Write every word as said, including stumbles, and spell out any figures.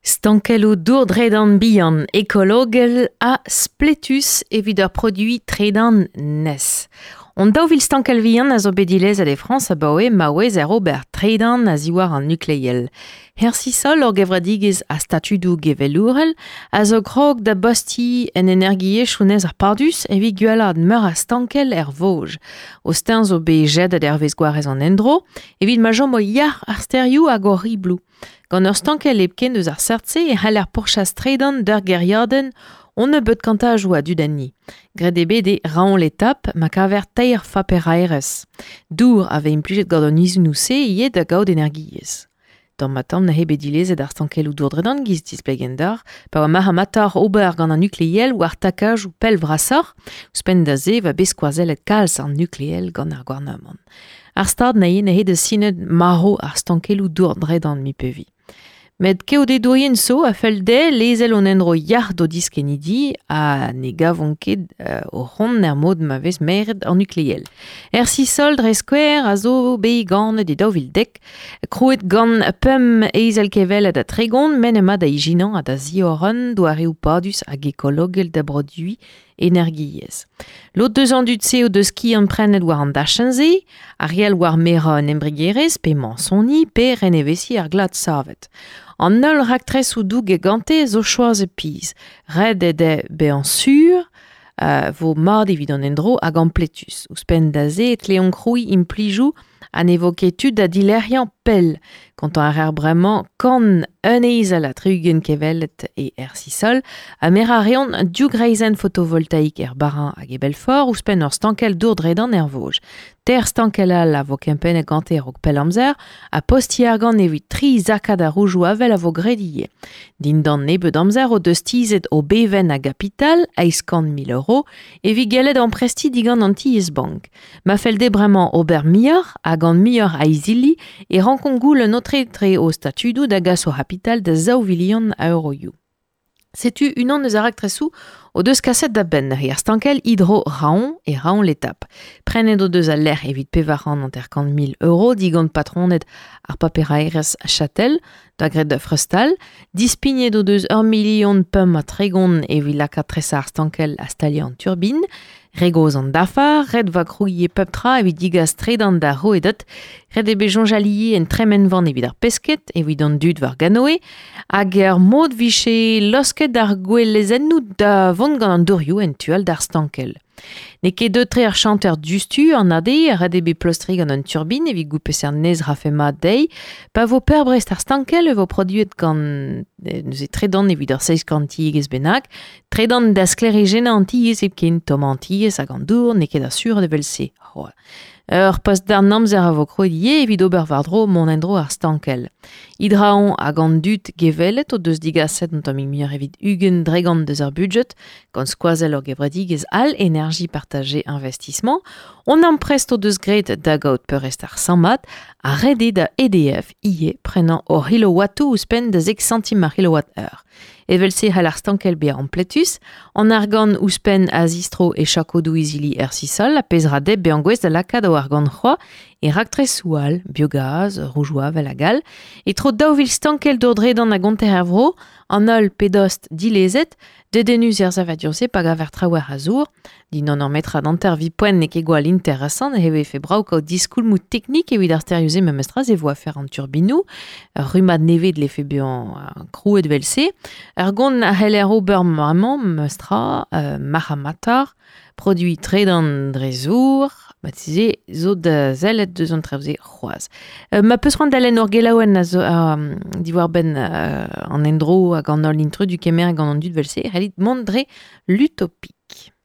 Stankelloù dour dredan bihan ekologel ha spletus evit ur produiñ tredan nes. On daou vil stankel vihan a zo bet dilezet e Frañs abaoe maouez er ober tredan a ziwar an nukleel. Hersisol ur gevredigezh a statudoù gevelourel a zo krog da bosti en energiezh chounez ar pardus evit gwellad meur a stankel er Vosges. O steñv zo bet jedet hervez gwarez an endro evit ma chom o yac'h ar stêrioù hag o ribloù. Gant ur stankel hepken eus ar seurt-se e c'haller pourchas tredan d'ur gêriadenn on nebeut kantajoù a dud enni. Graet eo bet e Raon l'Étape ma kaver teir faperaerez. Dour a vez implijet gant an izunoù-se ivez da gaout energiezh. Tamm ha tamm n'eo bet dilezet ar stankelloù dour-dredan giz displegenn d'ar, pa oa marc'h-ha-matoc'h ober gant an nukleel war takajoù pell vrasoc'h, ouzhpenn da se va bet skoazellet kalz an nukleel gant ar gouarnamant. Ar stad nae n'eo da sinet marv ar stankelloù dour-dredan mi pevi. Met keodedourien zo a fell dezhe lezel hon endro yac'h d'o diskennidi ha ne gavont ket euh, o c'hont er mod ma vez meret an nukleel. Er sisol dre skouer a zo bet ganet e daou vil dek, krouet gant pemp ezel kevelet ha tregont men ema da ijinañ ha da ziorren doareoù padus hag ekologel da broduiñ energiezh. Lod deus an dud-se o deus skiant prenet war an dachenn-se, ar riel war merañ an embregerezh pe mañsoni pe renevesiñ ar glad savet. An holl raktresoù douget gante zo choazet pizh. Ret eo dezhe bezañ sur euh, vo mat evit an endro hag ampletus. Ouzhpenn da se e tleont krouiñ implijoù ha ne vo ket tud da dilec'hiañ pell. Kontañ a reer bremañ kant un ezel ha tri-ugent kevelet e er Sisol ha merañ a reont div greizenn fotovoltaik er Bas-Rhin hag e Belfort ouzhpenn ur stankel dour-dredan er Vosges. Teir stankel all a vo kempennet gante a-raok pell amzer ha postiñ argant evit tri zakad a roujoù avel a vo graet ivez. Dindan nebeut amzer o deus tizhet o bevenn a gapital, eizh kant mil euro, evit gellet amprestiñ digant an tiez-bank. Ma fell dezhe bremañ ober muioc'h ha gant muioc'h a izili e rankont goulenn aotre o statudoù da gas o c'hapital da zaou vilion a euroioù. Setu unan eus ar raktresoù o deus kaset da benn ar stankel hydro Raon e Raon l'Étape. Prenet o deus al lec'h evit pevar c'hant hanter-kant mil euro digant patroned ar paperaerez Châtel, da graet da Freustal. Dispignet o deus ur milion pemp ha tregont evit lakaat tresañ ar stankel ha staliañ an turbin. Re gozh an dafar, ret va krouiñ pep tra evit digas tredan da rouedad, ret eo bet soñjal ivez en tremenvan evit ar pesked, evit an dud war ganoe, hag er mod vije losket ar gouelezennoù da vont gant an dourioù en tu all d'ar stankel. N'eo ket deuet-tre ar chanter diouzhtu an A D, ret eo bet pleustriñ gant un turbin evit goût peseurt nez rafe mat dezhi. Pa vo peurbrest ar stankel e vo produet gant neuze tredan evit ur seizh kant tiegezh bennak, tredan da sklêrijennañ an tiez hepken, tommañ an tiez hag an dour, n'eo ket asur evel-se. C'hoazh. Ur post d'an amzer a vo krouet ivez evit ober war-dro mont en-dro ar stankel. Hydraon hag an dud gevelet o deus digaset un tammig muioc'h evit ugent dregont deus ar budget, gant skoazell ur gevredigezh all énergie partagée investissement. On amprest o deus graet da gaout peurrest ar sammad ha ret eo da E D F ivez prenañ ur c'hilowattoù ouzhpenn da zek santim ar kilowatt-heure. Evel-se c'hall ar stankel bezañ ampletus, an argant ouzhpenn a zistro e chakodoù izili er sisol a pezh ra dezhe bezañ gouest da lakaat o argant c'hoazh e raktresoù all, biogaz, roujoù avel hag all. E tro daou vil stankel dour-dredan a gonter er vro, an holl pedost dilezet, dedennus er savadur-se pa gaver traoù a zour, dindan ur metrad hanter vi poent n'eo ket gwall interesant, e vefe brav kaout diskoulmoù teknik evit ar stêrioù-se memestra se vo afer an turbinoù, ur rummad nevez dlefe bezañ krouet evel-se. Ur gont a c'heller ober bremañ memestra, euh, marc'h-ha-matar, produiñ tredan dre zour, marteze zo da sellet deus an traoù-se c'hoazh. Euh, ma peus c'hoant da lenn ur gelaouenn a zo, euh, diwar-benn, euh, an endro hag an holl intrudu kemer gant an dud vel-se, c'hellit mont dre l'Utopie.